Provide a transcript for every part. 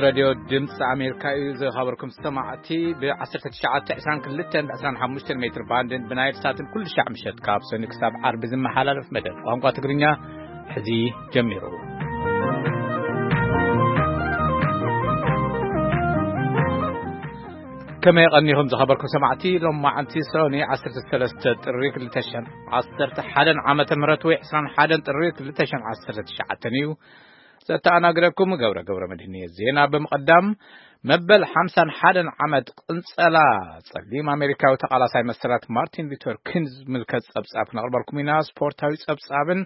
ሬድዮ ድምፂ ኣሜሪካ እዩ። ዝኸበርኩም ሰማዕቲ፣ ብ1922 ብ25 ሜትር ባንድን ብናይል ሳትን ኩሉ ሻዕ ምሸት ካብ ሰኒ ክሳብ ዓርቢ ዝመሓላለፍ መደብ ቋንቋ ትግርኛ ሕዚ ጀሚሩ። ከመይ ቀኒኹም ዝኸበርኩም ሰማዕቲ? ሎም መዓንቲ ሰኒ 13 ጥሪ 2011 ዓመተ ምህረት ወይ 21 ጥሪ 2019 እዩ። ዘተኣናግደኩም ገብረ ገብረ መድህን እየ። ዜና ብምቕዳም፣ መበል 51 ዓመት ቅንጸላ ጸሊም ኣሜሪካዊ ተቓላሳይ መሰላት ማርቲን ሉተር ኪንግ ዝምልከት ጸብጻብ ክነቕርበልኩም ኢና። ስፖርታዊ ጸብጻብን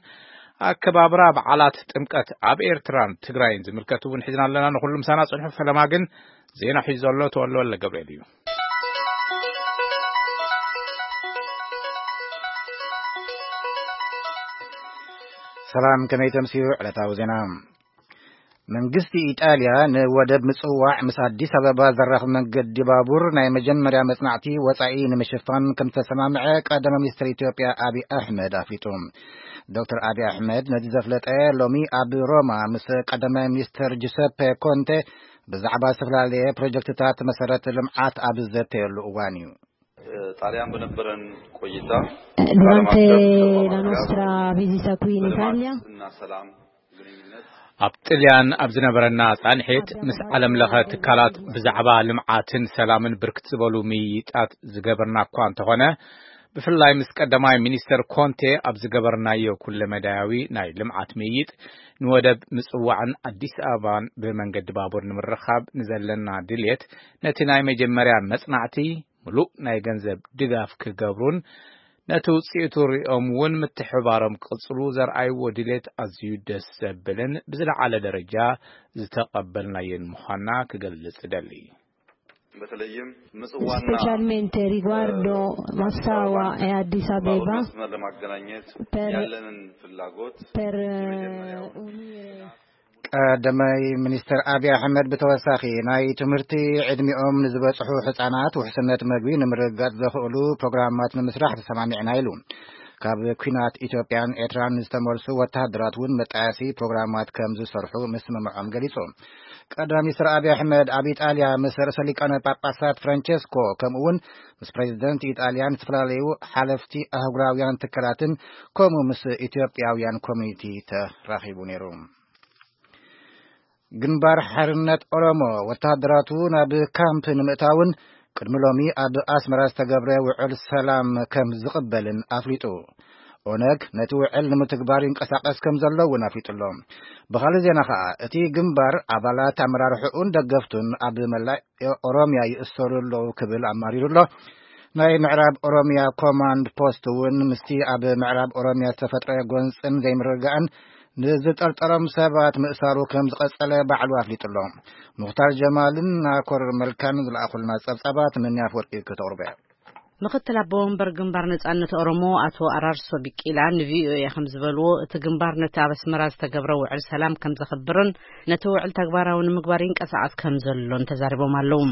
ኣከባብራ በዓላት ጥምቀት ኣብ ኤርትራን ትግራይን ዝምልከት እውን ሒዝና ኣለና። ንኹሉ ምሳና ጽንሑ። ፈለማ ግን ዜና ሒዙ ዘሎ ተወልደ ወልደ ገብርኤል እዩ። ሰላም፣ ከመይ ተምስዩ ዕለታዊ ዜና? መንግስቲ ኢጣልያ ንወደብ ምጽዋዕ ምስ ኣዲስ ኣበባ ዘራኽብ መንገዲ ባቡር ናይ መጀመርያ መጽናዕቲ ወጻኢ ንምሽፋን ከም ዝተሰማምዐ ቀዳማይ ሚኒስትር ኢትዮጵያ ኣብይ ኣሕመድ ኣፍሊጡ። ዶክተር ኣብይ ኣሕመድ ነዚ ዘፍለጠ ሎሚ ኣብ ሮማ ምስ ቀዳማይ ሚኒስትር ጁሰፔ ኮንቴ ብዛዕባ ዝተፈላለየ ፕሮጀክትታት መሰረት ልምዓት ኣብ ዝዘተየሉ እዋን እዩ። ጣሊያን በነበረን ቆይታ Durante ዓለም አቀፍ la ተቋማት ጋር nostra visita qui in በልማት Italia እና ሰላም ግንኙነት ኣብ ጥልያን ኣብ ዝነበረና ጻንሒት ምስ ዓለም ለኸ ትካላት ብዛዕባ ልምዓትን ሰላምን ብርክት ዝበሉ ምይይጣት ዝገበርና እኳ እንተኾነ፣ ብፍላይ ምስ ቀዳማይ ሚኒስተር ኮንቴ ኣብ ዝገበርናዮ ኩለመዳያዊ ናይ ልምዓት ምይይጥ፣ ንወደብ ምጽዋዕን ኣዲስ ኣበባን ብመንገዲ ባቡር ንምርኻብ ንዘለና ድልየት፣ ነቲ ናይ መጀመርያ መጽናዕቲ ምሉእ ናይ ገንዘብ ድጋፍ ክገብሩን ነቲ ውጽኢቱ ሪኦም እውን ምትሕብባሮም ክቕጽሉ ዘርኣይዎ ድሌት ኣዝዩ ደስ ዘብልን ብዝለዓለ ደረጃ ዝተቐበልናዮን ምዃንና ክገልጽ እደሊ። በተለይም ምጽዋና፣ specialmente riguardo እ፣ Massawa e Addis ባቡር Abeba መስመር ለማገናኘት per ያለንን ፍላጎት per የመጀመሪያው unire ቀዳማይ ሚኒስትር ኣብይ ኣሕመድ ብተወሳኺ፣ ናይ ትምህርቲ ዕድሚኦም ንዝበጽሑ ህጻናት ውሕስነት መግቢ ንምርግጋጽ ዘኽእሉ ፕሮግራማት ንምስራሕ ተሰማሚዕና ኢሉ። ካብ ኲናት ኢትዮጵያን ኤርትራን ዝተመልሱ ወተሃደራት እውን መጣየሲ ፕሮግራማት ከም ዝሰርሑ ምስምምዖም ገሊጹ። ቀዳማይ ሚኒስትር ኣብይ ኣሕመድ ኣብ ኢጣልያ ምስ ርእሰ ሊቃነ ጳጳሳት ፍራንቸስኮ፣ ከምኡ እውን ምስ ፕሬዚደንት ኢጣልያን ዝተፈላለዩ ሓለፍቲ ኣህጉራውያን ትካላትን፣ ከምኡ ምስ ኢትዮጵያውያን ኮሚኒቲ ተራኺቡ ነይሩ። ግንባር ሓርነት ኦሮሞ ወተሃደራቱ ናብ ካምፕ ንምእታውን ቅድሚ ሎሚ ኣብ ኣስመራ ዝተገብረ ውዕል ሰላም ከም ዝቕበልን ኣፍሊጡ። ኦነግ ነቲ ውዕል ንምትግባር ይንቀሳቐስ ከም ዘሎ እውን ኣፍሊጡ ኣሎ። ብኻልእ ዜና ኸኣ፣ እቲ ግንባር ኣባላት ኣመራርሕኡን ደገፍቱን ኣብ መላእ ኦሮምያ ይእሰሩ ኣለዉ ክብል ኣማሪሩ ኣሎ። ናይ ምዕራብ ኦሮምያ ኮማንድ ፖስት እውን ምስቲ ኣብ ምዕራብ ኦሮምያ ዝተፈጥረ ጎንጽን ዘይምርግጋእን ንዝጠርጠሮም ሰባት ምእሳሩ ከም ዝቐጸለ ባዕሉ ኣፍሊጡ ኣሎ። ሙኽታር ጀማልን ናኮር መልካን ዝለኣኹልና ጸብጻባት መን ኣፈወርቂ ከተቕርበ። ምኽትል ኣቦ ወንበር ግንባር ነጻነት ኦሮሞ ኣቶ ኣራርሶ ቢቂላ ንቪኦኤ ከም ዝበልዎ፣ እቲ ግንባር ነቲ ኣብ ኣስመራ ዝተገብረ ውዕል ሰላም ከም ዘኽብርን ነቲ ውዕል ተግባራዊ ንምግባር ይንቀሳቐስ ከም ዘሎን ተዛሪቦም ኣለዉ።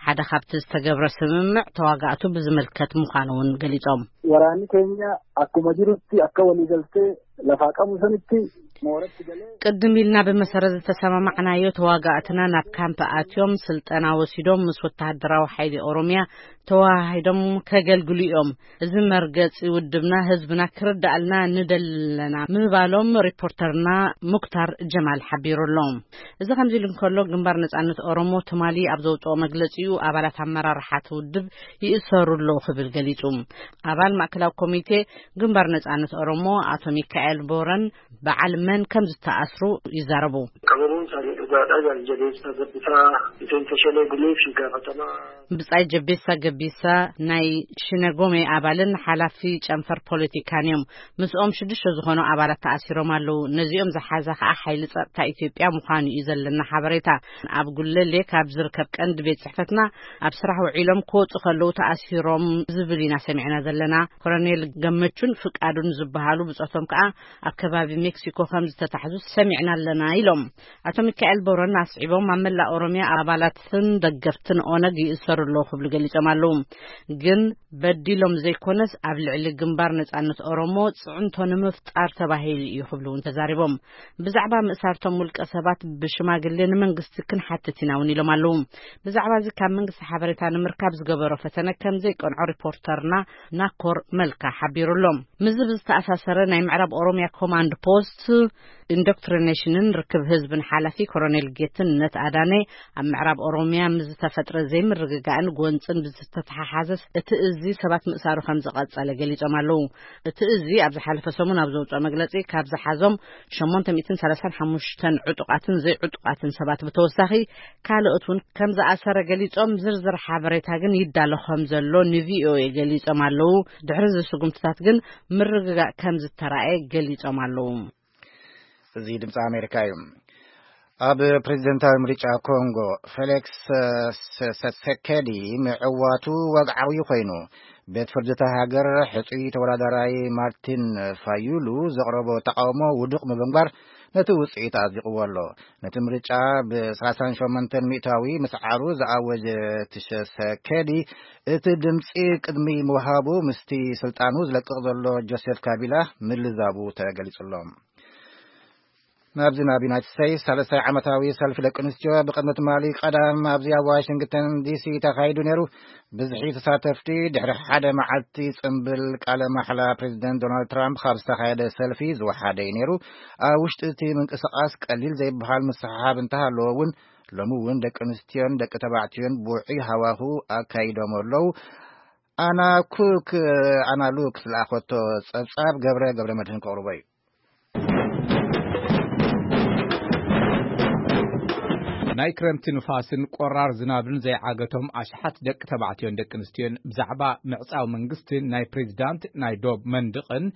ሓደ ካብቲ ዝተገብረ ስምምዕ ተዋጋእቱ ብዝምልከት ምዃኑ እውን ገሊጾም። Waraanni keenya akkuma jirutti akka waliigaltee lafaa qabu sanitti mooratti galee ቅድም ኢልና ብመሰረት ዝተሰማማዕናዮ፣ ተዋጋእትና ናብ ካምፕ ኣትዮም ስልጠና ወሲዶም ምስ ወተሃደራዊ ሓይሊ ኦሮምያ ተዋሃሂዶም ከገልግሉ እዮም። እዚ መርገጺ ውድብና ህዝብና ክርዳእልና ንደሊ ኣለና ምባሎም ሪፖርተርና ሙክታር ጀማል ሓቢሩ ኣሎ። እዚ ከምዚ ኢሉ እንከሎ፣ ግንባር ነጻነት ኦሮሞ ትማሊ ኣብ ዘውጽኦ መግለጺኡ፣ ኣባላት ኣመራርሓ እቲ ውድብ ይእሰሩ ኣለዉ ክብል ገሊጹ። ኣባል ማእከላዊ ኮሚቴ ግንባር ነጻነት ኦሮሞ ኣቶ ሚካኤል ቦረን በዓል መን ከም ዝተኣስሩ ይዛረቡ። Qabamuun isaanii dhugaadha. Jaal Jabeessaa Gabbisaa miseensa Shanee Gumii fi gaafatamaa ብጻይ ጀቤሳ ገቢሳ ናይ ሽነጎሜ ኣባልን ሓላፊ ጨንፈር ፖለቲካን እዮም። ምስኦም ሽዱሽተ ዝኾኑ ኣባላት ተኣሲሮም ኣለዉ። ነዚኦም ዝሓዘ ከኣ ሓይሊ ጸጥታ ኢትዮጵያ ምዃኑ እዩ ዘለና ሓበሬታ። ኣብ ጉለሌ ካብ ዝርከብ ቀንዲ ቤት ጽሕፈትና ኣብ ስራሕ ውዒሎም ክወጹ ከለዉ ተኣሲሮም ዝብል ኢና ሰሚዕና ዘለና። ኮሎኔል ገመቹን ፍቃዱን ዝበሃሉ ብጾቶም ከኣ ኣብ ከባቢ ሜክሲኮ ከም ዝተታሕዙ ሰሚዕና ኣለና ኢሎም። ኣቶ ሚካኤል ቦረን ኣስዒቦም፣ ኣብ መላእ ኦሮምያ ኣባላትን ደገፍትን ኦነግ ይእሰሩ ኣለዉ ክብሉ ገሊጾም ኣለዉ። ኣለዉ። ግን በዲሎም ዘይኮነስ ኣብ ልዕሊ ግንባር ነጻነት ኦሮሞ ጽዕንቶ ንምፍጣር ተባሂሉ እዩ ክብሉ እውን ተዛሪቦም። ብዛዕባ ምእሳርቶም ውልቀ ሰባት ብሽማግሌ ንመንግስቲ ክንሓትት ኢና እውን ኢሎም ኣለዉ። ብዛዕባ እዚ ካብ መንግስቲ ሓበሬታ ንምርካብ ዝገበሮ ፈተነ ከም ዘይቀንዖ ሪፖርተርና ናኮር መልካ ሓቢሩ ኣሎ። ምስዚ ብዝተኣሳሰረ ናይ ምዕራብ ኦሮሚያ ኮማንድ ፖስት ኢንዶክትሪኔሽንን ርክብ ህዝብን ሓላፊ ኮሎኔል ጌትነት ኣዳነ ኣብ ምዕራብ ኦሮሚያ ምስ ዝተፈጥረ ዘይምርግጋእን ጎንፅን ብዝተተሓሓዘ እቲ እዚ ሰባት ምእሳሩ ከም ዝቐጸለ ገሊጾም ኣለዉ። እቲ እዚ ኣብ ዝሓለፈ ሰሙን ኣብ ዘውፅኦ መግለጺ ካብ ዝሓዞም ሸሞንተ ሚእትን ሰላሳን ሓሙሽተን ዕጡቓትን ዘይዕጡቓትን ሰባት ብተወሳኺ ካልኦት እውን ከም ዝኣሰረ ገሊጾም ዝርዝር ሓበሬታ ግን ይዳሎ ከም ዘሎ ንቪኦኤ ገሊጾም ኣለዉ። ድሕሪ እዚ ስጉምትታት ግን ምርግጋእ ከም ዝተራእየ ገሊጾም ኣለዉ። እዚ ድምፂ ኣሜሪካ እዩ። ኣብ ፕሬዚደንታዊ ምርጫ ኮንጎ ፌሊክስ ሰሰኬዲ ምዕዋቱ ወግዓዊ ኮይኑ፣ ቤት ፍርዲ እታ ሃገር ሕፁይ ተወዳዳራይ ማርቲን ፋዩሉ ዘቕረቦ ተቃውሞ ውዱቕ ብምግባር ነቲ ውፅኢት ኣጽዲቕዎ ኣሎ። ነቲ ምርጫ ብ ሰላሳን ሸሞንተን ሚእታዊ ምስዓሩ ዝኣወጀ ትሸሰኬዲ፣ እቲ ድምፂ ቅድሚ ምውሃቡ ምስቲ ስልጣኑ ዝለቅቕ ዘሎ ጆሴፍ ካቢላ ምልዛቡ ተገሊጹ ኣሎ። ናብዚ ናብ ዩናይትድ ስቴትስ ሳልሳይ ዓመታዊ ሰልፊ ደቂ ኣንስትዮ ብቕድሚ ትማሊ ቀዳም ኣብዚ ኣብ ዋሽንግተን ዲሲ ተኻይዱ ነይሩ። ብዝሒ ተሳተፍቲ ድሕሪ ሓደ መዓልቲ ጽምብል ቃለ ማሕላ ፕሬዚደንት ዶናልድ ትራምፕ ካብ ዝተኻየደ ሰልፊ ዝወሓደ እዩ ነይሩ። ኣብ ውሽጢ እቲ ምንቅስቓስ ቀሊል ዘይበሃል ምስሕሓብ እንተሃለዎ እውን፣ ሎሚ እውን ደቂ ኣንስትዮን ደቂ ተባዕትዮን ብውዑይ ሃዋሁ ኣካይዶም ኣለዉ። ኣና ኩክ ኣና ሉክ ዝለኣኸቶ ጸብጻብ ገብረ ገብረ መድህን ከቕርቦ እዩ። ናይ ክረምቲ ንፋስን ቆራር ዝናብን ዘይዓገቶም ኣሽሓት ደቂ ተባዕትዮን ደቂ ኣንስትዮን ብዛዕባ ምዕጻው መንግስትን ናይ ፕሬዚዳንት ናይ ዶብ መንድቕን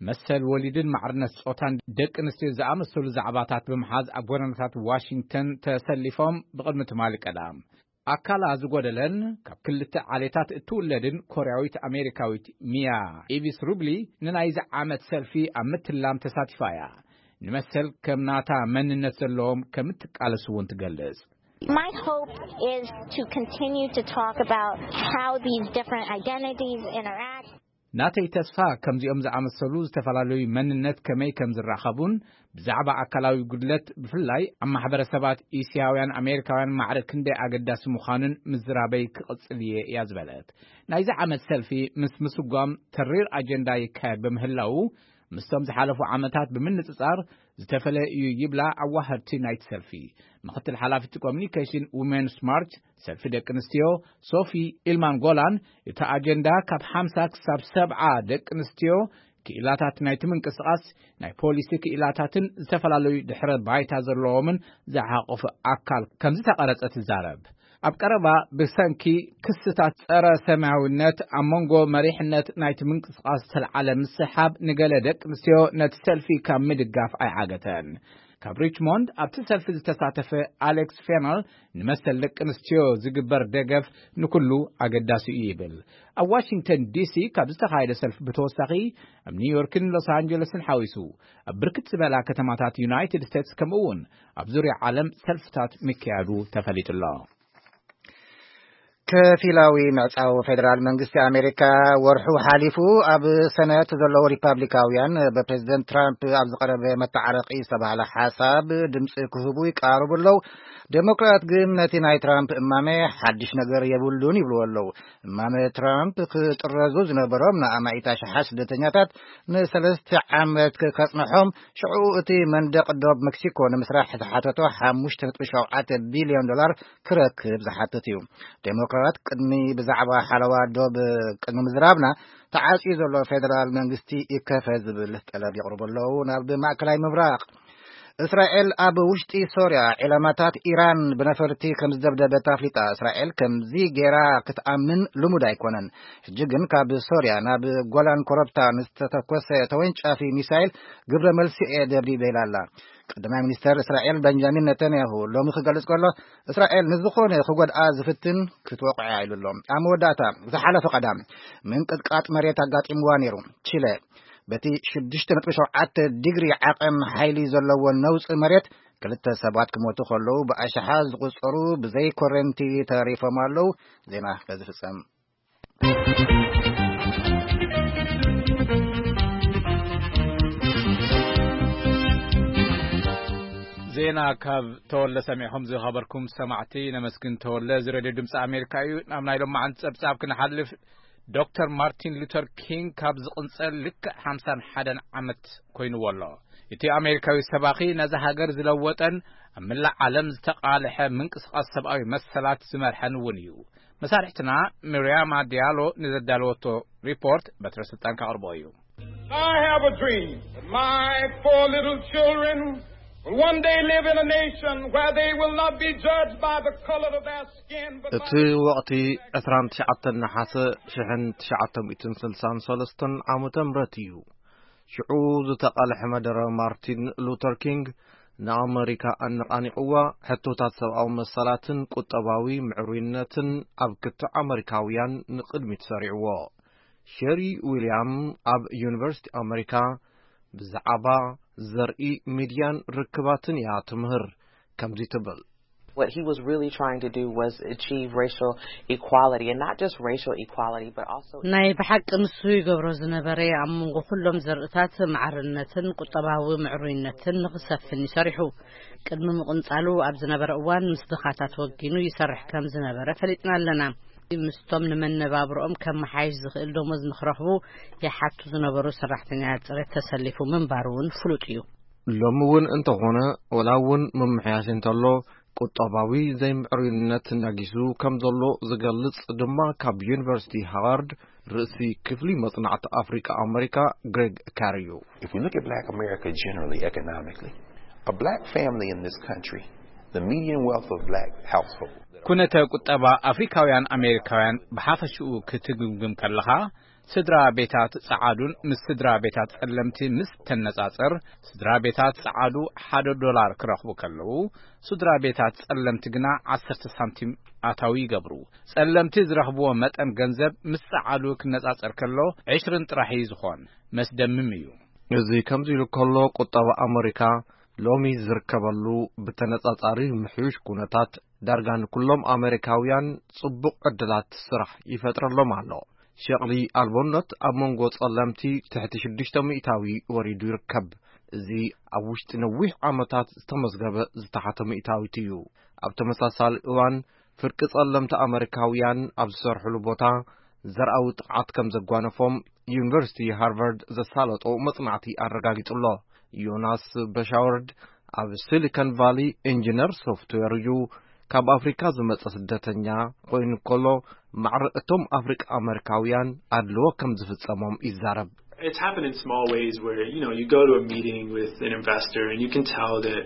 መሰል ወሊድን ማዕርነት ጾታን ደቂ ኣንስትዮ ዝኣመሰሉ ዛዕባታት ብምሓዝ ኣብ ጎደናታት ዋሽንግተን ተሰሊፎም ብቕድሚ ትማሊ ቀዳም። ኣካላ ዝጎደለን ካብ ክልተ ዓሌታት እትውለድን ኮርያዊት ኣሜሪካዊት ሚያ ኢቪስ ሩብሊ ንናይዚ ዓመት ሰልፊ ኣብ ምትላም ተሳቲፋ እያ። ንመሰል ከም ናታ መንነት ዘለዎም ከም እትቃለስ እውን ትገልጽ። My hope is to continue to talk about how these different identities interact. ናተይ ተስፋ ከምዚኦም ዝኣመሰሉ ዝተፈላለዩ መንነት ከመይ ከም ዝራኸቡን ብዛዕባ ኣካላዊ ጉድለት ብፍላይ ኣብ ማሕበረሰባት እስያውያን ኣሜሪካውያን ማዕረ ክንደይ ኣገዳሲ ምዃኑን ምዝራበይ ክቕጽል እየ እያ ዝበለት። ናይዚ ዓመት ሰልፊ ምስ ምስጓም ተሪር ኣጀንዳ ይካየድ ብምህላው ምስቶም ዝሓለፉ ዓመታት ብምንጽጻር ዝተፈለየ እዩ ይብላ ኣዋሃድቲ ናይቲ ሰልፊ። ምክትል ሓላፊቲ ኮሚኒኬሽን ዊሜንስ ማርች ሰልፊ ደቂ ኣንስትዮ ሶፊ ኢልማን ጎላን እቲ ኣጀንዳ ካብ ሓምሳ ክሳብ ሰብዓ ደቂ ኣንስትዮ ክኢላታት ናይቲ ምንቅስቓስ ናይ ፖሊሲ ክኢላታትን ዝተፈላለዩ ድሕረ ባይታ ዘለዎምን ዝሓቆፈ ኣካል ከም ዝተቐረጸ ትዛረብ። ኣብ ቀረባ ብሰንኪ ክስታት ጸረ ሰማያዊነት ኣብ መንጎ መሪሕነት ናይቲ ምንቅስቓስ ዝተልዓለ ምስሓብ ንገለ ደቂ ኣንስትዮ ነቲ ሰልፊ ካብ ምድጋፍ ኣይዓገተን። ካብ ሪችሞንድ ኣብቲ ሰልፊ ዝተሳተፈ ኣሌክስ ፌነል ንመሰል ደቂ ኣንስትዮ ዝግበር ደገፍ ንኩሉ ኣገዳሲ እዩ ይብል። ኣብ ዋሽንግተን ዲሲ ካብ ዝተኻየደ ሰልፊ ብተወሳኺ ኣብ ኒውዮርክን ሎስ ኣንጀለስን ሓዊሱ ኣብ ብርክት ዝበላ ከተማታት ዩናይትድ ስቴትስ ከምኡ እውን ኣብ ዙርያ ዓለም ሰልፍታት ምክያዱ ተፈሊጡ ኣሎ። ከፊላዊ ምዕጻው ፌደራል መንግስቲ ኣሜሪካ ወርሑ ሓሊፉ ኣብ ሰነት ዘለዉ ሪፓብሊካውያን ብፕሬዚደንት ትራምፕ ኣብ ዝቐረበ መተዓረቂ ዝተባህለ ሓሳብ ድምፂ ክህቡ ይቃረቡ ኣለዉ። ዴሞክራት ግን ነቲ ናይ ትራምፕ እማመ ሓድሽ ነገር የብሉን ይብልዎ ኣለዉ። እማመ ትራምፕ ክጥረዙ ዝነበሮም ንኣማኢት ኣሽሓት ስደተኛታት ንሰለስተ ዓመት ከጽንሖም፣ ሽዑ እቲ መንደቕ ዶብ ሜክሲኮ ንምስራሕ ዝተሓተቶ ሓሙሽተ ነጥቢ ሸውዓተ ቢልዮን ዶላር ክረክብ ዝሓትት እዩ። ዴሞክራት ቅድሚ ብዛዕባ ሓለዋ ዶብ ቅድሚ ምዝራብና ተዓጽዩ ዘሎ ፌደራል መንግስቲ ይከፈ ዝብል ጠለብ የቕርቡ ኣለዉ። ናብ ማእከላይ ምብራቕ እስራኤል ኣብ ውሽጢ ሶርያ ዒላማታት ኢራን ብነፈርቲ ከም ዝደብደበት ኣፍሊጣ። እስራኤል ከምዚ ጌራ ክትኣምን ልሙድ ኣይኮነን። ሕጂ ግን ካብ ሶርያ ናብ ጎላን ኮረብታ ንዝተተኮሰ ተወንጫፊ ሚሳይል ግብረ መልሲ እየ ደብዲበ ኢላ ኣላ። ቀዳማይ ሚኒስተር እስራኤል በንጃሚን ነተንያሁ ሎሚ ክገልጽ ከሎ፣ እስራኤል ንዝኾነ ክጎድኣ ዝፍትን ክትወቕዖ ኢሉ ኣሎ። ኣብ መወዳእታ ዝሓለፈ ቀዳም ምንቅጥቃጥ መሬት ኣጋጢምዋ ነይሩ። ቺለ በቲ ሽዱሽተ ነጥቢ ሸውዓተ ዲግሪ ዓቐን ሓይሊ ዘለዎ ነውጺ መሬት ክልተ ሰባት ክሞቱ ከለዉ ብኣሽሓት ዝቑጸሩ ብዘይ ኮረንቲ ተሪፎም ኣለዉ። ዜና በዚ ፍጸም። ዜና ካብ ተወልደ ሰሚዕኹም ዝኸበርኩም ሰማዕቲ ነመስግን። ተወልደ፣ እዚ ሬድዮ ድምፂ ኣሜሪካ እዩ። ናብ ናይ ሎማዓንቲ ጸብጻብ ክንሓልፍ፣ ዶክተር ማርቲን ሉተር ኪንግ ካብ ዝቕንጸል ልክዕ ሓምሳን ሓደን ዓመት ኮይንዎ ኣሎ። እቲ ኣሜሪካዊ ሰባኺ ነዛ ሃገር ዝለወጠን ኣብ መላእ ዓለም ዝተቓልሐ ምንቅስቓስ ሰብኣዊ መሰላት ዝመርሐን እውን እዩ። መሳርሕትና ሚርያማ ዲያሎ ንዘዳለወቶ ሪፖርት በትረ ስልጣን ከቕርቦ እዩ። I have a dream that my four little children will one day live in a nation where they will not be judged by the color of their skin, but እቲ by ወቕቲ ዕስራን ትሽዓተን ነሓሰ ሽሕን ትሽዓተ ሚእትን ስልሳን ሰለስተን ዓመተ ምህረት እዩ። ሽዑ ዝተቓልሐ መደረ ማርቲን ሉተር ኪንግ ንኣመሪካ ኣነቓኒቕዋ፣ ሕቶታት ሰብኣዊ መሰላትን ቁጠባዊ ምዕሩይነትን ኣብ ክትዕ ኣመሪካውያን ንቕድሚት ሰሪዕዎ። ሸሪ ዊልያም ኣብ ዩኒቨርሲቲ ኣመሪካ ብዛዕባ ዘርኢ ሚድያን ርክባትን እያ ትምህር። ከምዚ ትብል። What he was really trying to do was achieve racial equality, and not just racial equality, but also ናይ ብሓቂ ንሱ ይገብሮ ዝነበረ ኣብ መንጎ ኩሎም ዘርእታት ማዕርነትን ቁጠባዊ ምዕሩይነትን ንኽሰፍን ይሰሪሑ። ቅድሚ ምቕንጻሉ ኣብ ዝነበረ እዋን ምስ ድኻታት ወጊኑ ይሰርሕ ከም ዝነበረ ፈሊጥና ኣለና። ምስቶም ንመነባብሮኦም ከመሓይሽ ዝኽእል ደሞዝ ንኽረኽቡ ይሓቱ ዝነበሩ ሰራሕተኛታት ጽሬት ተሰሊፉ ምንባሩ እውን ፍሉጥ እዩ። ሎሚ እውን እንተኾነ፣ ወላ እውን ምምሕያሽ እንተሎ፣ ቁጠባዊ ዘይምዕሩይነት ነጊሱ ከም ዘሎ ዝገልጽ ድማ ካብ ዩኒቨርሲቲ ሃዋርድ ርእሲ ክፍሊ መጽናዕቲ ኣፍሪቃ ኣመሪካ ግሬግ ካር እዩ። If we look at black America generally economically, a black family in this country, the median wealth of black household ኩነተ ቁጠባ ኣፍሪካውያን ኣሜሪካውያን ብሓፈሽኡ ክትግምግም ከለኻ፣ ስድራ ቤታት ጸዓዱን ምስ ስድራ ቤታት ጸለምቲ ምስ ተነጻጽር፣ ስድራ ቤታት ጸዓዱ ሓደ ዶላር ክረኽቡ ከለዉ፣ ስድራ ቤታት ጸለምቲ ግና ዓሰርተ ሳንቲም ኣታዊ ይገብሩ። ጸለምቲ ዝረኽብዎ መጠን ገንዘብ ምስ ጸዓዱ ክነጻጸር ከሎ፣ ዕሽርን ጥራሕ እዩ ዝኾን። መስደምም እዩ። እዚ ከምዚ ኢሉ ከሎ፣ ቁጠባ ኣመሪካ ሎሚ ዝርከበሉ ብተነጻጻሪ ምሕዩሽ ኩነታት፣ ዳርጋ ንኩሎም ኣመሪካውያን ጽቡቕ ዕድላት ስራሕ ይፈጥረሎም ኣሎ። ሸቕሊ ኣልቦነት ኣብ መንጎ ጸለምቲ ትሕቲ ሽዱሽተ ሚእታዊ ወሪዱ ይርከብ። እዚ ኣብ ውሽጢ ነዊሕ ዓመታት ዝተመዝገበ ዝተሓተ ሚእታዊት እዩ። ኣብ ተመሳሳሊ እዋን፣ ፍርቂ ጸለምቲ ኣመሪካውያን ኣብ ዝሰርሕሉ ቦታ ዘርኣዊ ጥቕዓት ከም ዘጓነፎም ዩኒቨርሲቲ ሃርቫርድ ዘሳለጦ መጽናዕቲ ኣረጋጊጹ ኣሎ። ዮናስ በሻወርድ ኣብ ሲሊኮን ቫሊ ኢንጂነር ሶፍትዌር እዩ። ካብ ኣፍሪካ ዝመጸ ስደተኛ ኮይኑ ከሎ፣ ማዕረ እቶም ኣፍሪቃ ኣመሪካውያን ኣድልዎ ከም ዝፍጸሞም ይዛረብ። It's happened in small ways where, you know, you go to a meeting with an investor and you can tell that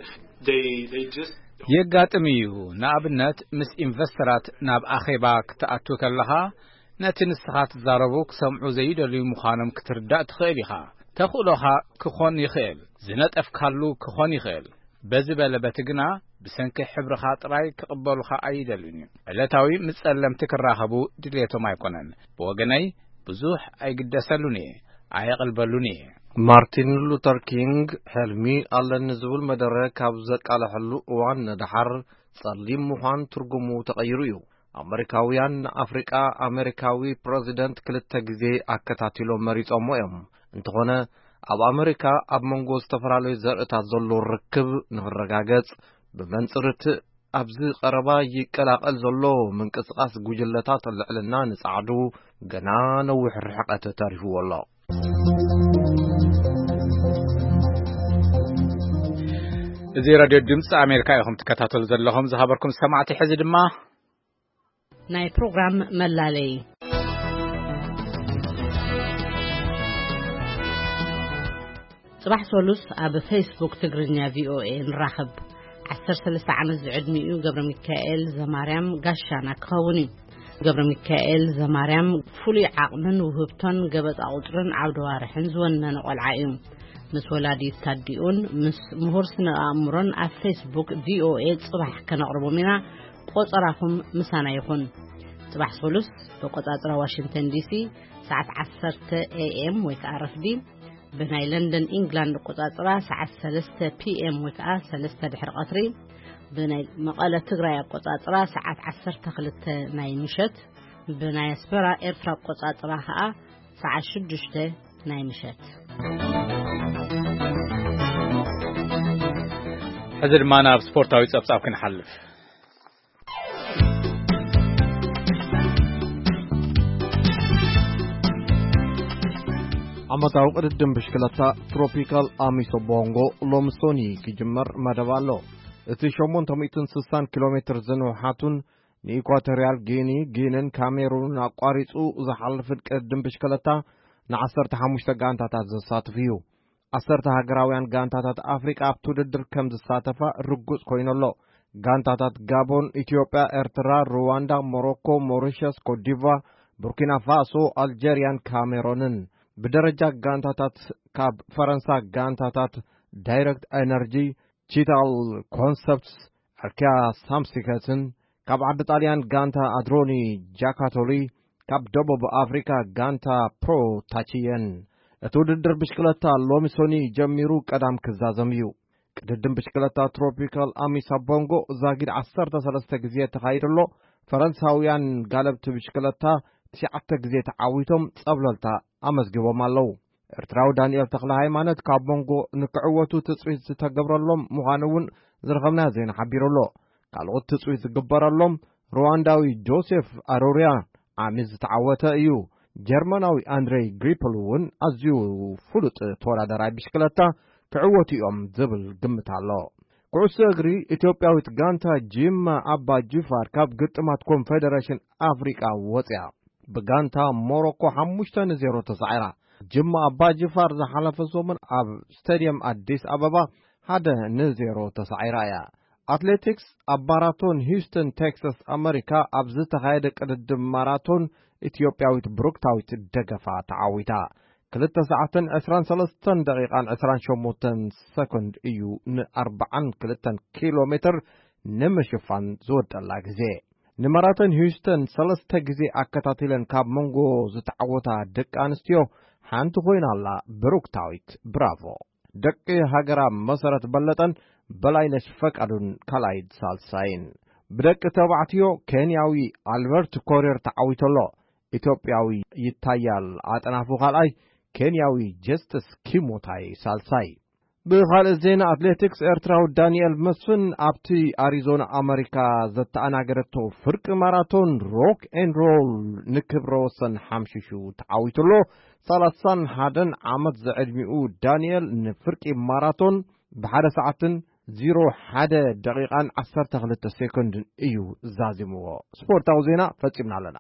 they, they just የጋጥም እዩ። ንኣብነት፣ ምስ ኢንቨስተራት ናብ ኣኼባ ክትኣቱ ከለኻ፣ ነቲ ንስኻ ትዛረቡ ክሰምዑ ዘይደልዩ ምዃኖም ክትርዳእ ትኽእል ኢኻ። ተኽእሎኻ ክኾን ይኽእል፣ ዝነጠፍካሉ ክኾን ይኽእል። በዚ በለ በቲ ግና፣ ብሰንኪ ሕብርኻ ጥራይ ክቕበሉኻ ኣይደልዩን እዮም። ዕለታዊ ምስ ጸለምቲ ክራኸቡ ድልየቶም ኣይኮነን። ብወገነይ፣ ብዙሕ ኣይግደሰሉን እየ፣ ኣየቕልበሉን እየ። ማርቲን ሉተር ኪንግ፣ ሕልሚ ኣለኒ ዝብል መደረ ካብ ዘቃለሐሉ እዋን ንደሓር፣ ጸሊም ምዃን ትርጉሙ ተቐይሩ እዩ። ኣመሪካውያን ንኣፍሪቃ ኣመሪካዊ ፕረዚደንት ክልተ ግዜ ኣከታቲሎም መሪጾሞ እዮም። እንተኾነ፣ ኣብ ኣመሪካ ኣብ መንጎ ዝተፈላለዩ ዘርእታት ዘሎ ርክብ ንኽረጋገጽ፣ ብመንጽር እቲ ኣብዚ ቀረባ ይቀላቐል ዘሎ ምንቅስቓስ ጉጅለታት ልዕልና ንጻዕዱ ገና ነዊሕ ርሕቀት ተሪፍዎ ኣሎ። እዚ ሬድዮ ድምፂ ኣሜሪካ ኢኹም ትከታተሉ ዘለኹም። ዝኸበርኩም ሰማዕቲ፣ ሕዚ ድማ ናይ ፕሮግራም መላለይ። ጽባሕ ሰሉስ ኣብ ፌስቡክ ትግርኛ ቪኦኤ ንራኸብ። ዓሰርተ ሰለስተ ዓመት ዝዕድሚኡ ገብረ ሚካኤል ዘማርያም ጋሻና ክኸውን እዩ። ገብረ ሚካኤል ዘማርያም ፍሉይ ዓቕምን ውህብቶን ገበጣ ቁጽርን ዓውደ ዋርሕን ዝወነነ ቆልዓ እዩ። ምስ ወላዲት ታዲኡን ምስ ምሁር ስነ ኣእምሮን ኣብ ፌስቡክ ቪኦኤ ጽባሕ ከነቕርቦም ኢና። ቆጸራኹም ምሳና ይኹን። ጽባሕ ሰሉስ ብቆጻጽራ ዋሽንግተን ዲሲ ሰዓት ዓሰርተ ኤ ኤም ወይ ከኣ ረፍዲ፣ ብናይ ለንደን ኢንግላንድ ኣቆጻጽራ ሰዓት ሰለስተ ፒ ኤም ወይ ከኣ ሰለስተ ድሕሪ ቀትሪ፣ ብናይ መቐለ ትግራይ ኣቆጻጽራ ሰዓት ዓሰርተ ክልተ ናይ ምሸት፣ ብናይ ኣስመራ ኤርትራ ኣቆጻጽራ ኸኣ ሰዓት ሽዱሽተ ናይ ምሸት። ሕዚ ድማ ናብ ስፖርታዊ ጸብጻብ ክንሓልፍ። ዓመታዊ ቅድድም ብሽክለታ ትሮፒካል ኣሚሶ ቦንጎ ሎምሶኒ ክጅመር መደብ ኣሎ። እቲ ሸሞንተ ሚእትን ስሳን ኪሎ ሜትር ዝንውሓቱን ንኢኳቶርያል ጊኒ፣ ጊንን ካሜሩንን ኣቋሪጹ ዝሓልፍን ቅድድም ብሽክለታ ንዓሰርተ ሓሙሽተ ጋንታታት ዘሳትፍ እዩ። ዓሰርተ ሃገራውያን ጋንታታት ኣፍሪቃ ኣብቲ ውድድር ከም ዝሳተፋ ርጉጽ ኮይኑ ኣሎ። ጋንታታት ጋቦን፣ ኢትዮጵያ፣ ኤርትራ፣ ሩዋንዳ፣ ሞሮኮ፣ ሞሪሸስ፣ ኮትዲቫር፣ ቡርኪና ፋሶ፣ ኣልጀርያን ካሜሮንን። ብደረጃ ጋንታታት ካብ ፈረንሳ ጋንታታት ዳይረክት ኤነርጂ፣ ቺታል ኮንሰፕትስ፣ ኣርኪያ ሳምሲከትን፣ ካብ ዓዲ ጣልያን ጋንታ ኣድሮኒ ጃካቶሊ፣ ካብ ደቡብ ኣፍሪካ ጋንታ ፕሮ ታቺየን። እቲ ውድድር ብሽክለታ ሎሚ ሶኒ ጀሚሩ ቀዳም ክዛዘም እዩ። ቅድድም ብሽክለታ ትሮፒካል ኣሚሳ ቦንጎ ዛጊድ ዓሰርተ ሰለስተ ግዜ ተኻይዱ ኣሎ። ፈረንሳውያን ጋለብቲ ብሽክለታ ትሽዓተ ግዜ ተዓዊቶም ጸብለልታ ኣመዝጊቦም ኣለዉ። ኤርትራዊ ዳንኤል ተኽለ ሃይማኖት ካብ መንጎ ንክዕወቱ ትጽቢት ዝተገብረሎም ምዃኑ እውን ዝረኸብናዮ ዜና ሓቢሩ ኣሎ። ካልኦት ትጽቢት ዝግበረሎም ሩዋንዳዊ ጆሴፍ ኣሮሪያ ዓሚ ዝተዓወተ እዩ። ጀርመናዊ ኣንድሬይ ግሪፕል እውን ኣዝዩ ፍሉጥ ተወዳደራይ ብሽክለታ ክዕወቱ እዮም ዝብል ግምት ኣሎ። ኩዕሶ እግሪ ኢትዮጵያዊት ጋንታ ጂማ ኣባ ጅፋር ካብ ግጥማት ኮንፌደሬሽን ኣፍሪቃ ወፅያ። ብጋንታ ሞሮኮ ሓሙሽተ ንዜሮ ተሳዒራ። ጅማ ኣባ ጅፋር ዝሓለፈ ሰሙን ኣብ ስታዲየም ኣዲስ ኣበባ ሓደ ንዜሮ ተሳዒራ እያ። ኣትሌቲክስ፣ ኣብ ማራቶን ሂውስተን ቴክሳስ ኣመሪካ ኣብ ዝተኻየደ ቅድድም ማራቶን ኢትዮጵያዊት ብሩክታዊት ደገፋ ተዓዊታ። ክልተ ሰዓትን ዕስራን ሰለስተን ደቂቓን ዕስራን ሸሞንተን ሰኮንድ እዩ ን ኣርባዓን ክልተን ኪሎ ሜትር ንምሽፋን ዝወደላ ግዜ። ንማራቶን ሂውስተን ሰለስተ ግዜ ኣከታቲለን ካብ መንጎ ዝተዓወታ ደቂ ኣንስትዮ ሓንቲ ኮይና ኣላ ብሩክታዊት። ብራቮ። ደቂ ሃገራ መሰረት በለጠን በላይነሽ ፈቃዱን ካልኣይን ሳልሳይን። ብደቂ ተባዕትዮ ኬንያዊ ኣልበርት ኮሪር ተዓዊቱ ኣሎ። ኢትዮጵያዊ ይታያል ኣጥናፉ ካልኣይ፣ ኬንያዊ ጀስትስ ኪሞታይ ሳልሳይ። ብኻልእ ዜና ኣትሌቲክስ፣ ኤርትራዊ ዳንኤል መስፍን ኣብቲ ኣሪዞና ኣመሪካ ዘተኣናገደቶ ፍርቂ ማራቶን ሮክ ኤንድ ሮል ንክብረ ወሰን ሓምሽሹ ተዓዊቱ ኣሎ። ሰላሳን ሓደን ዓመት ዝዕድሚኡ ዳንኤል ንፍርቂ ማራቶን ብሓደ ሰዓትን ዜሮ ሓደ ደቂቓን ዓሰርተ ክልተ ሴኮንድን እዩ ዛዚምዎ። ስፖርታዊ ዜና ፈጺምና ኣለና።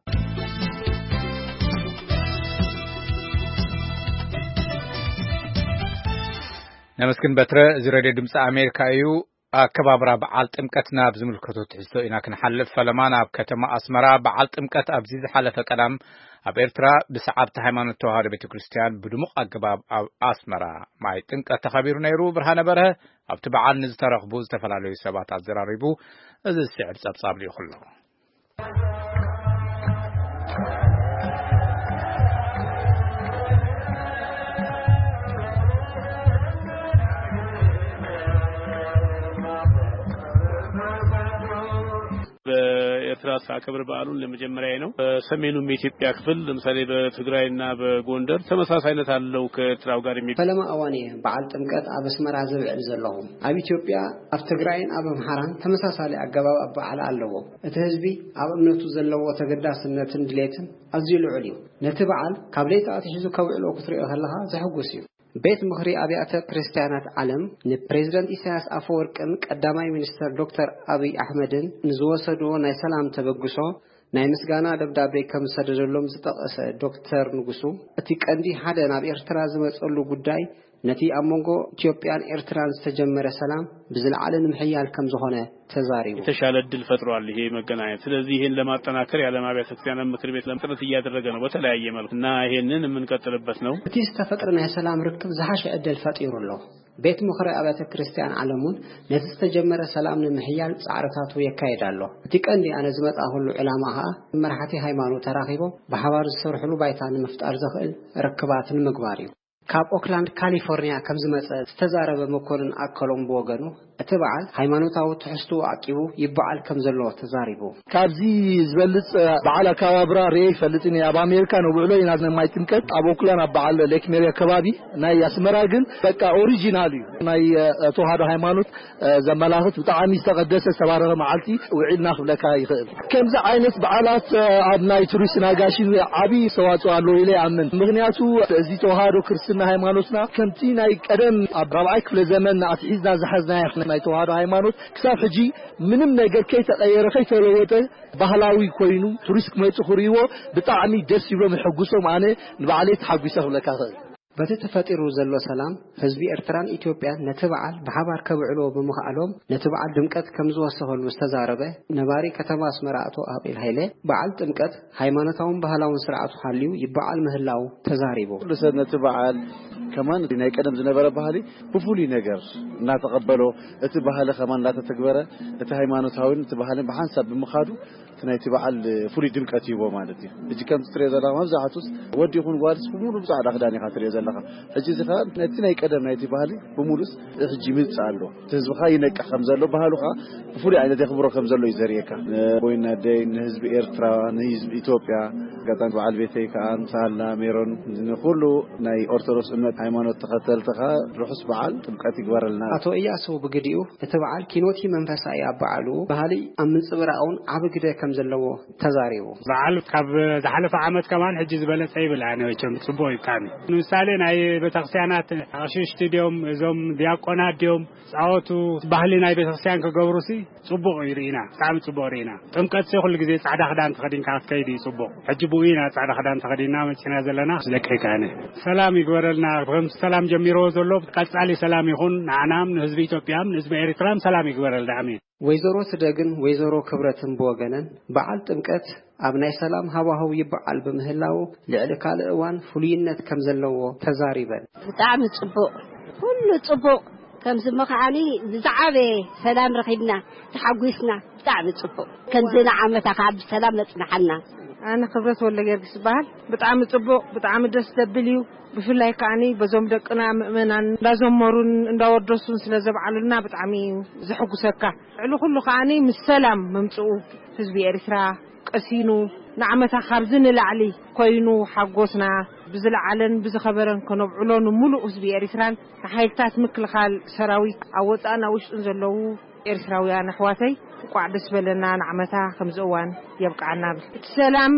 ነመስግን በትረ፣ እዚ ሬድዮ ድምፂ ኣሜሪካ እዩ። ኣከባብራ በዓል ጥምቀት ናብ ዝምልከቶ ትሕዝቶ ኢና ክንሓልፍ። ፈለማ ናብ ከተማ ኣስመራ። በዓል ጥምቀት ኣብዚ ዝሓለፈ ቀዳም ኣብ ኤርትራ ብሰዓብቲ ሃይማኖት ተዋህዶ ቤተ ክርስቲያን ብድሙቕ ኣገባብ ኣብ ኣስመራ ማይ ጥምቀት ተኸቢሩ ነይሩ። ብርሃነ በርሀ ኣብቲ በዓል ንዝተረኽቡ ዝተፈላለዩ ሰባት ኣዘራሪቡ። እዚ ዝስዕብ ጸብጻብ ልኢኹ ኣሎ። በኤርትራ ሳከብር በዓሉን ለመጀመሪያ ነው። በሰሜኑም የኢትዮጵያ ክፍል ለምሳሌ በትግራይና በጎንደር ተመሳሳይነት አለው ከኤርትራው ጋር የሚ- ፈለማ እዋን እየ በዓል ጥምቀት ኣብ ኣስመራ ዝብዕል ዘለኹ። ኣብ ኢትዮጵያ፣ ኣብ ትግራይን ኣብ ኣምሓራን ተመሳሳሊ ኣገባብ ኣበዓዕላ ኣለዎ። እቲ ህዝቢ ኣብ እምነቱ ዘለዎ ተገዳስነትን ድሌትን ኣዝዩ ልዑል እዩ። ነቲ በዓል ካብ ለይቲ ኣትሒዙ ከብዕሎ ክትሪኦ ከለኻ ዘሕጉስ እዩ። ቤት ምኽሪ ኣብያተ ክርስቲያናት ዓለም ንፕሬዝደንት ኢሳያስ ኣፈወርቅን ቀዳማይ ሚኒስተር ዶክተር ኣብይ ኣሕመድን ንዝወሰድዎ ናይ ሰላም ተበግሶ ናይ ምስጋና ደብዳቤ ከም ዝሰደደሎም ዝጠቐሰ ዶክተር ንጉሱ፣ እቲ ቀንዲ ሓደ ናብ ኤርትራ ዝመጸሉ ጉዳይ ነቲ ኣብ መንጎ ኢትዮጵያን ኤርትራን ዝተጀመረ ሰላም ብዝለዓለ ንምሕያል ከም ዝኾነ ተዛሪቡ። የተሻለ እድል ፈጥሯል ይሄ መገናኘት። ስለዚህ ይሄን ለማጠናከር የዓለም አብያተ ክርስቲያናት ምክር ቤት ጥረት እያደረገ ነው በተለያየ መልኩ እና ይሄንን የምንቀጥልበት ነው። እቲ ዝተፈጥረ ናይ ሰላም ርክብ ዝሓሸ ዕድል ፈጢሩ ኣሎ። ቤት ምኽሪ ኣብያተ ክርስቲያን ዓለም እውን ነቲ ዝተጀመረ ሰላም ንምሕያል ጻዕርታቱ የካይድ ኣሎ። እቲ ቀንዲ ኣነ ዝመጻእኩሉ ዕላማ ኸኣ መራሕቲ ሃይማኖት ተራኺቦም ብሓባር ዝሰርሕሉ ባይታ ንምፍጣር ዘኽእል ርክባት ንምግባር እዩ። ካብ ኦክላንድ ካሊፎርኒያ ከም ዝመጸ ዝተዛረበ መኮንን ኣከሎም ብወገኑ፣ እቲ በዓል ሃይማኖታዊ ትሕዝትኡ ዓቂቡ ይበዓል ከም ዘሎ ተዛሪቡ። ካብዚ ዝበልጽ በዓል ኣከባብራ ርኤ ይፈልጥን እየ። ኣብ ኣሜሪካ ነብዕሎ ኢና ናይ ጥምቀት ኣብ ኦክላንድ ኣብ በዓል ሌክ ሜሪ ኣከባቢ። ናይ ኣስመራ ግን በቃ ኦሪጂናል እዩ። ናይ ተዋህዶ ሃይማኖት ዘመላኽት ብጣዕሚ ዝተቐደሰ ዝተባረኸ መዓልቲ ውዒልና ክብለካ ይኽእል። ከምዚ ዓይነት በዓላት ኣብ ናይ ቱሪስት ናጋሽን ዓብዪ ኣስተዋፅኦ ኣለዎ ኢለ ይኣምን። ምኽንያቱ እዚ ተዋህዶ ክርስትና ሃይማኖትና ከምቲ ናይ ቀደም ኣብ ራብዓይ ክፍለ ዘመን ኣትሒዝና ዝሓዝናዮ ናይ ተዋህዶ ሃይማኖት ክሳብ ሕጂ ምንም ነገር ከይተቐየረ ከይተለወጠ ባህላዊ ኮይኑ ቱሪስት ክመፁ ክርእይዎ ብጣዕሚ ደስ ይብሎም ይሕጉሶም። ኣነ ንባዕለይ ተሓጒሰ ክብለካ እኽእል። በቲ ተፈጢሩ ዘሎ ሰላም ህዝቢ ኤርትራን ኢትዮጵያን ነቲ በዓል ብሓባር ከብዕልዎ ብምኽኣሎም ነቲ በዓል ድምቀት ከም ዝወሰኸሉ ዝተዛረበ ነባሪ ከተማ ኣስመራ ኣቶ ኣቤል ሃይለ በዓል ጥምቀት ሃይማኖታውን ባህላውን ስርዓቱ ሓልዩ ይበዓል ምህላው ተዛሪቡ። ኩሉ ሰብ ነቲ በዓል ከማን ናይ ቀደም ዝነበረ ባህሊ ብፍሉይ ነገር እናተቐበሎ እቲ ባህሊ ከማን እናተተግበረ እቲ ሃይማኖታዊን እቲ ባህልን ብሓንሳብ ብምኻዱ እቲ ናይቲ በዓል ፍሉይ ድምቀት ይህቦ ማለት እዩ። ሕጂ ከምቲ ትሪኦ ዘለኻ መብዛሕቱስ ወዲ ይኹን ጓልስ ብሙሉ ብፃዕዳ ክዳን ኢኻ ትሪኦ ዘለኻ። ሕጂ እዚ ኸዓ ነቲ ናይ ቀደም ናይቲ ባህሊ ብሙሉስ ሕጂ ይምፅእ ኣሎ። እቲ ህዝብኻ ይነቅሕ ከም ዘሎ ባህሉ ኸዓ ብፍሉይ ዓይነት የኽብሮ ከም ዘሎ እዩ ዘርእየካ። ንቦይና ደይ ንህዝቢ ኤርትራ ንህዝቢ ኢትዮጵያ ኣጋጣሚ በዓል ቤተይ ከዓ ሳላ ሜሮን ንኩሉ ናይ ኦርቶዶክስ እምነት ሃይማኖት ተኸተልቲ ከዓ ርሑስ በዓል ጥምቀት ይግበረልና። ኣቶ እያሱ ብግዲኡ እቲ በዓል ኪኖቲ መንፈሳዊ ኣብ በዓሉ ባህሊ ኣብ ምንፅብራቕ እውን ዓቢ ግደ ከም ዘለዎ ተዛሪቡ። በዓል ካብ ዝሓለፈ ዓመት ከማን ሕጂ ዝበለፀ ይብል ኣነ መቸም ፅቡቅ እዩ ብጣዕሚ። ንምሳሌ ናይ ቤተክርስትያናት ኣቕሽሽቲ ድዮም እዞም ዲያቆናት ድዮም ፃወቱ ባህሊ ናይ ቤተክርስትያን ክገብሩ ሲ ፅቡቅ እዩ ርኢና ብጣዕሚ ፅቡቅ ርኢና። ጥምቀት ሲ ኩሉ ግዜ ፃዕዳ ክዳን ተኸዲንካ ክትከይድ እዩ ፅቡቅ። ሕጂ ብኡ ኢና ፃዕዳ ክዳን ተኸዲንና መፂና ዘለና ደቂ ከኣነ ሰላም ይግበረልና። ከም ሰላም ጀሚርዎ ዘሎ ቀፃሊ ሰላም ይኹን ንዓናም ንህዝቢ ኢትዮጵያም ንህዝቢ ኤሪትራም ሰላም ይግበረልና ኣሜን። ወይዘሮ ትደግን ወይዘሮ ክብረትን ብወገነን በዓል ጥምቀት ኣብ ናይ ሰላም ሃዋህው ይበዓል ብምህላው ልዕሊ ካልእ እዋን ፍሉይነት ከም ዘለዎ ተዛሪበን። ብጣዕሚ ፅቡቕ ኩሉ ፅቡቕ ከምዚ ምኽዓኒ ብዝዓበየ ሰላም ረኺብና ተሓጒስና ብጣዕሚ ፅቡቕ ከምዚ ንዓመታ ከዓ ብሰላም መፅናሓልና። ኣነ ክብረት ወልደጊዮርጊስ ይበሃል። ብጣዕሚ ፅቡቕ ብጣዕሚ ደስ ዘብል እዩ። ብፍላይ ከዓኒ በዞም ደቅና ምእመናን እንዳዘመሩን እንዳወደሱን ስለ ዘብዓሉልና ብጣዕሚ እዩ ዘሐጉሰካ። ልዕሊ ኩሉ ከዓኒ ምስ ሰላም ምምፅኡ ህዝቢ ኤርትራ ቀሲኑ ንዓመታ ካብዚ ንላዕሊ ኮይኑ ሓጎስና ብዝለዓለን ብዝኸበረን ከነብዕሎ ንምሉእ ህዝቢ ኤርትራን ንሓይልታት ምክልኻል ሰራዊት ኣብ ወፃእን ኣብ ውሽጥን ዘለዉ ኤርትራውያን ኣሕዋተይ እንቋዕ ደስ በለና ንዓመታ ከምዚ እዋን የብቅዓና እብል። እቲ ሰላም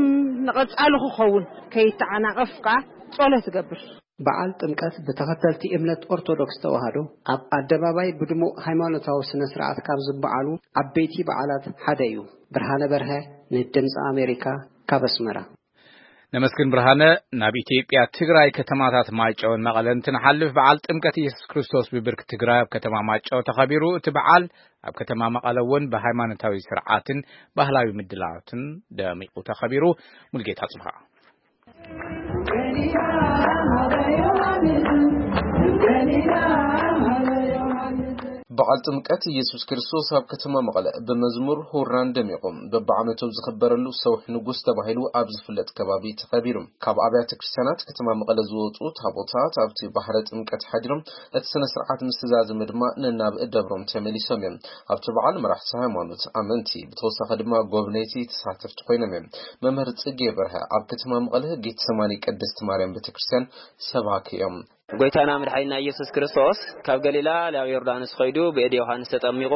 ንቐፃሊ ክኸውን ከይተዓናቐፍ ከዓ ፆለት እገብር። በዓል ጥምቀት ብተኸተልቲ እምነት ኦርቶዶክስ ተዋህዶ ኣብ ኣደባባይ ብድሙቕ ሃይማኖታዊ ስነ ስርዓት ካብ ዝበዓሉ ዓበይቲ በዓላት ሓደ እዩ። ብርሃነ በርሀ ንድምፂ ኣሜሪካ ካብ ኣስመራ። ነመስግን ብርሃነ። ናብ ኢትዮጵያ ትግራይ ከተማታት ማይጨውን መቐለን እንትንሓልፍ በዓል ጥምቀት ኢየሱስ ክርስቶስ ብብርኪ ትግራይ ኣብ ከተማ ማይጨው ተኸቢሩ። እቲ በዓል ኣብ ከተማ መቐለ እውን ብሃይማኖታዊ ስርዓትን ባህላዊ ምድላዋትን ደሚቑ ተኸቢሩ። ሙልጌታ ጽብሃ። በዓል ጥምቀት ኢየሱስ ክርስቶስ ኣብ ከተማ መቐለ ብመዝሙር ሁራን ደሚቑ በብዓመቱ ኣብ ዝኽበረሉ ሰውሒ ንጉስ ተባሂሉ ኣብ ዝፍለጥ ከባቢ ተኸቢሩ። ካብ ኣብያተ ክርስቲያናት ከተማ መቐለ ዝወፁ ታቦታት ኣብቲ ባሕረ ጥምቀት ሓዲሮም እቲ ስነ ስርዓት ምስ ተዛዘመ ድማ ነናብ ደብሮም ተመሊሶም እዮም። ኣብቲ በዓል መራሕቲ ሃይማኖት፣ ኣመንቲ፣ ብተወሳኺ ድማ ጎብነይቲ ተሳተፍቲ ኮይኖም እዮም። መምህር ፅጌ በርሀ ኣብ ከተማ መቐለ ጌተሰማኒ ቅድስት ማርያም ቤተክርስትያን ሰባኪ እዮም። ጎይታና መድሓኒና ኢየሱስ ክርስቶስ ካብ ገሊላ ናብ ዮርዳኖስ ኸይዱ ብእድ ዮሃንስ ተጠሚቑ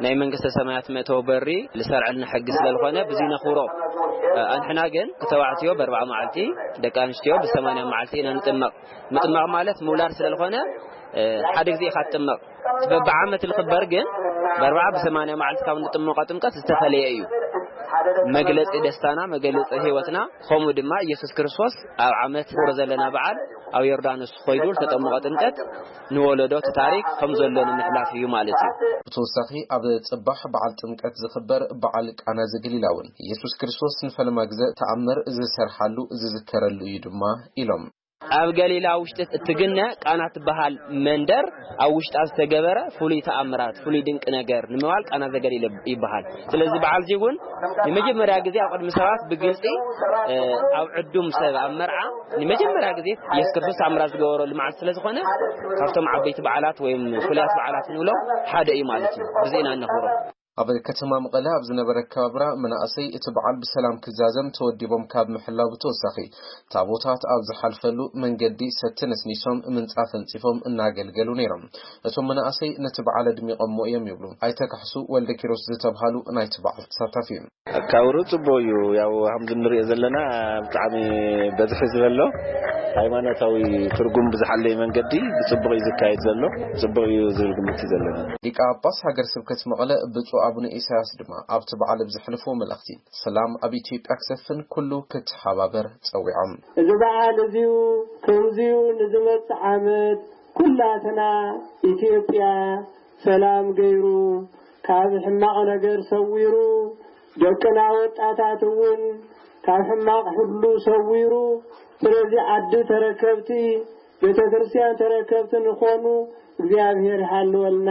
ናይ መንግስተ ሰማያት መእተዊ በሪ ልሰርዐልና ሕጊ ስለ ዝኾነ ብዙይ ነኽብሮ። ኣንሕና ግን ተባዕትዮ በርባዓ መዓልቲ ደቂ ኣንስትዮ ብሰማንያ መዓልቲ ኢና ንጥመቕ። ምጥማቕ ማለት ምውላድ ስለ ዝኾነ ሓደ ግዜ ኢኻ ትጥመቕ። በብዓመት ልኽበር ግን በርባዓ ብሰማንያ መዓልቲ ካብ ንጥመቖ ጥምቀት ዝተፈለየ እዩ። መግለፂ ደስታና መግለፂ ህይወትና። ከምኡ ድማ ኢየሱስ ክርስቶስ ኣብ ዓመት ክብሮ ዘለና በዓል ኣብ ዮርዳኖስ ኾይዱ ዝተጠመቐ ጥምቀት ንወለዶ እቲ ታሪክ ከም ዘሎ ንምሕላፍ እዩ ማለት እዩ። ብተወሳኺ ኣብ ጽባሕ በዓል ጥምቀት ዝኽበር በዓል ቃና ዘገሊላ እውን ኢየሱስ ክርስቶስ ንፈለማ ግዘ ተኣምር ዝሰርሓሉ ዝዝከረሉ እዩ ድማ ኢሎም። ኣብ ገሊላ ውሽጢ እትግነ ቃና ትበሃል መንደር ኣብ ውሽጣ ዝተገበረ ፍሉይ ተኣምራት፣ ፍሉይ ድንቂ ነገር ንምባል ቃና ዘገሊላ ይበሃል። ስለዚ በዓል እዚ እውን ንመጀመርያ ግዜ ኣብ ቅድሚ ሰባት ብግልጺ፣ እ፣ ኣብ ዕዱም ሰብ ኣብ መርዓ ንመጀመርያ ግዜ ኢየሱስ ክርስቶስ ተኣምራት ዝገበረሉ መዓልቲ ስለ ዝኾነ ካብቶም ዓበይቲ በዓላት ወይም ፍሉያት በዓላት ንብሎም ሓደ እዩ ማለት እዩ። ብዚ ኢና እነኽብሮ። ኣብ ከተማ መቐለ ኣብ ዝነበረ ኣከባብራ መናእሰይ እቲ በዓል ብሰላም ክዛዘም ተወዲቦም ካብ ምሕላው ብተወሳኺ ታቦታት ኣብ ዝሓልፈሉ መንገዲ ሰቲ ነስኒሶም ምንጻፍ ኣንጺፎም እናገልገሉ ነይሮም። እቶም መናእሰይ ነቲ በዓል ኣድሚቖሞ እዮም ይብሉ ኣይተ ካሕሱ ወልደ ኪሮስ ዝተብሃሉ ናይቲ በዓል ተሳታፊ። ኣካብሩ ጽቡቕ እዩ። ያው ከምዚ ንሪኦ ዘለና ብጣዕሚ በዝሒ ዝበሎ ሃይማኖታዊ ትርጉም ብዝሓለየ መንገዲ ብጽቡቕ እዩ ዝካየድ ዘሎ። ጽቡቕ እዩ ዝብል ግምት እዩ ዘለና። ሊቀ ጳጳስ ሃገረ ስብከት መቐለ ብፁዕ ኣቡነ ኢሳያስ ድማ ኣብቲ በዓል ብዘሕልፍዎ መልእኽቲ ሰላም ኣብ ኢትዮጵያ ክሰፍን ኩሉ ክተሓባበር ጸዊዖም። እዚ በዓል እዚዩ ከምዚዩ ንዝመጽእ ዓመት ኩላትና ኢትዮጵያ ሰላም ገይሩ ካብ ሕማቕ ነገር ሰዊሩ ደቅና ወጣታት እውን ካብ ሕማቕ ሁሉ ሰዊሩ ስለዚ ዓዲ ተረከብቲ ቤተ ክርስቲያን ተረከብቲ ንኾኑ እግዚኣብሔር ይሃልወልና።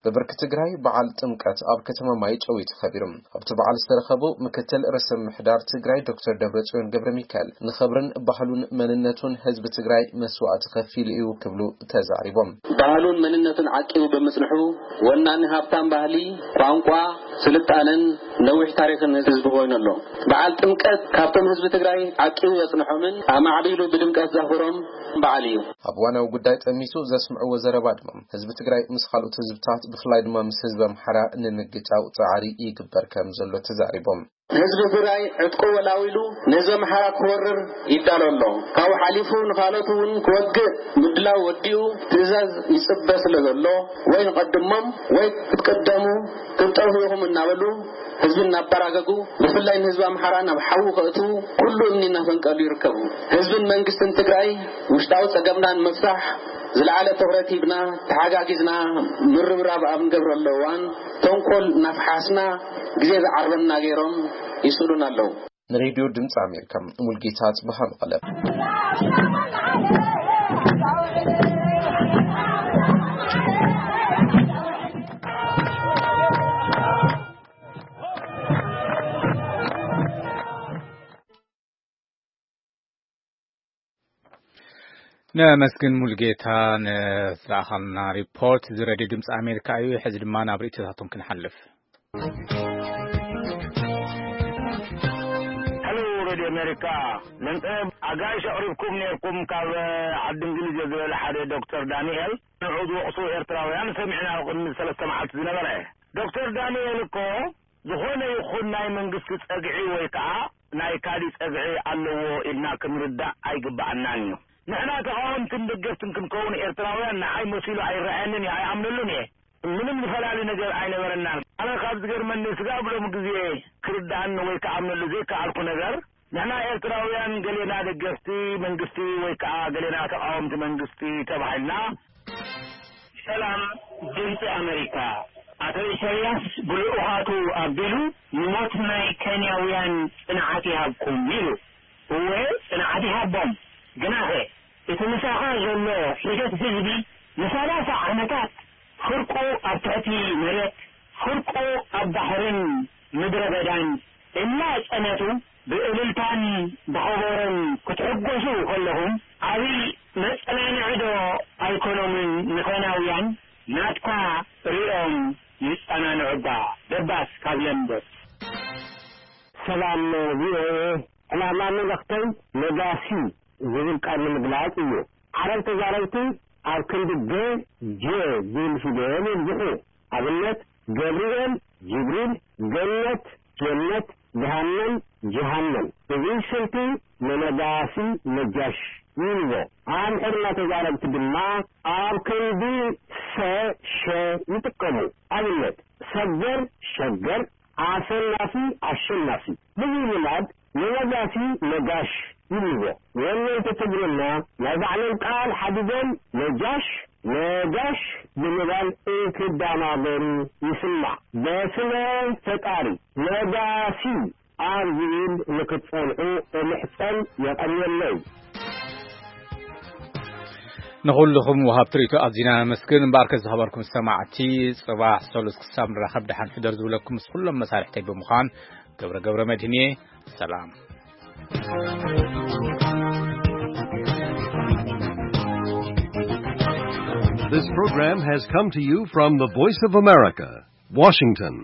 ብብርኪ ትግራይ በዓል ጥምቀት ኣብ ከተማ ማይጨው እዩ ተኸቢሩ። ኣብቲ በዓል ዝተረኸቡ ምክትል ርእሰ ምምሕዳር ትግራይ ዶክተር ደብረጽዮን ገብረ ሚካኤል ንኽብርን ባህሉን መንነቱን ህዝቢ ትግራይ መስዋእቲ ከፊሉ እዩ ክብሉ ተዛሪቦም። ባህሉን መንነቱን ዓቂቡ ብምጽንሑ ወናኒ ሃብታም ባህሊ፣ ቋንቋ፣ ስልጣነን ነዊሕ ታሪኽን ህዝቢ ኮይኑ ኣሎ። በዓል ጥምቀት ካብቶም ህዝቢ ትግራይ ዓቂቡ ዘጽንሖምን ኣማዕቢሉ ብድምቀት ዘኽብሮም በዓል እዩ። ኣብ ዋናዊ ጉዳይ ጠሚቱ ዘስምዕዎ ዘረባ ድማ ህዝቢ ትግራይ ምስ ካልኦት ህዝብታት ብፍላይ ድማ ምስ ህዝቢ ኣምሓራ ንምግጫው ጻዕሪ ይግበር ከም ዘሎ ተዛሪቦም። ህዝቢ ትግራይ ዕጥቁ ወላዊሉ ንህዝቢ ኣምሓራ ክወርር ይዳሎ ኣሎ። ካብኡ ሓሊፉ ንኻልኦት እውን ክወግእ ምድላው ወዲኡ ትእዛዝ ይጽበ ስለ ዘሎ ወይ ንቐድሞም ወይ ክትቅደሙ ክትጠፍኡ ኢኹም እናበሉ ህዝቢ እናበራገጉ ብፍላይ ንህዝቢ ኣምሓራ ናብ ሓዊ ከእትዉ ኩሉ እምኒ እናፈንቀሉ ይርከቡ። ህዝብን መንግስትን ትግራይ ውሽጣዊ ጸገምና ንምፍታሕ ዝለዓለ ትኹረት ሂብና ተሓጋጊዝና ምርብራብ ኣብ ንገብረሉ እዋን ተንኮል እናፈሓስና ግዜ ዝዓርበና ገይሮም ይስእሉና ኣለዉ። ንሬድዮ ድምፂ ኣሜሪካ ሙልጌታ ጽብሃ መቐለ። ነመስግን ሙልጌታ ንዝለኣኻልና ሪፖርት። እዚ ሬድዮ ድምፂ ኣሜሪካ እዩ። ሕዚ ድማ ናብ ርእይቶታቶም ክንሓልፍ። ሄሎ ሬድዮ ኣሜሪካ፣ ለንቀ ኣጋይሽ ኣቕሪብኩም ነርኩም ካብ ዓዲ እንግሊዝ እየ ዝበለ ሓደ ዶክተር ዳንኤል። ንዑ ዝወቕሱ ኤርትራውያን ሰሚዕና ቅድሚ ሰለስተ መዓልቲ ዝነበረ። ዶክተር ዳንኤል እኮ ዝኾነ ይኹን ናይ መንግስቲ ጸግዒ ወይ ከኣ ናይ ካሊእ ጸግዒ ኣለዎ ኢልና ክንርዳእ ኣይግብኣናን እዩ። ንሕና ተቓወምትን ደገፍትን ክንከውን ኤርትራውያን ንዓይ መሲሉ ኣይረኣየንን እየ፣ ኣይኣምነሉን እየ። ምንም ዝፈላለ ነገር ኣይነበረናን። ኣነ ካብ ዝገርመኒ ስጋብ ሎም ግዜ ክርዳኣኒ ወይ ክኣምነሉ ዘይከኣልኩ ነገር ንሕና ኤርትራውያን ገሌና ደገፍቲ መንግስቲ ወይ ከኣ ገሌና ተቓወምቲ መንግስቲ ተባሂልና። ሰላም ድምፂ ኣሜሪካ። ኣቶ ኢሳያስ ብልኡኻቱ ኣቢሉ ንሞት ናይ ኬንያውያን ጽንዓት ይሃብኩም ኢሉ። እወ ጽንዓት ይሃቦም። ግናኸ እቲ ምሳኻ ዘሎ ሒደት ህዝቢ ንሰላሳ ዓመታት ፍርቁ ኣብ ትሕቲ መሬት ፍርቁ ኣብ ባሕርን ምድረ በዳን እናጸነቱ ብእልልታን ብኸበሮን ክትሕጎሱ ከለኹም ዓብይ መጸናንዒ ዶ ኣይኮኖምን ንኬንያውያን? ናትካ ሪኦም ይጸናንዑ እባ። ደባስ ካብ ለንደን። ሰላም ቪኦኤ። ዕላማ መልእኽተይ ነጋሲ ዝብል ቃል ንምግላጽ እዩ። ዓረብ ተዛረብቲ ኣብ ክንዲ ገ፣ ጀ ዝብል ፊደል የብዝሑ። ኣብነት ገብርኤል፣ ጅብሪል፣ ገነት፣ ጀነት፣ ገሃነም፣ ጀሃነም። እዚ ስልቲ ንነጋሲ ነጃሽ ይብልዎ። ኣምሓርኛ ተዛረብቲ ድማ ኣብ ክንዲ ሰ፣ ሸ ይጥቀሙ። ኣብነት ሰገር፣ ሸገር፣ ኣሰናፊ፣ ኣሸናፊ። ብዚ ልማድ ንነጋሲ ነጋሽ ይብልዎ። ወነንቲ ትግርኛ ናይ ባዕሎም ቃል ሓዲጎም ነጃሽ፣ ነጋሽ ብምባል እንትደናገሩ ይስማዕ። በስመ ፈጣሪ ነጋሲ ኣብ ዝብል ንክትጸንሑ እምሕጸን የቐንየለይ። ንኹልኹም ወሃብቲ ርእይቶ ኣዚና ነመስግን። እምበኣርከ ዝኸበርኩም ሰማዕቲ፣ ጽባሕ ሰሉስ ክሳብ ንራኸብ ደሓን ሕደር ዝብለኩም ምስ ኩሎም መሳርሕተይ ብምዃን ገብረ ገብረ መድህን እየ። ሰላም። This program has come to you from the Voice of America, Washington.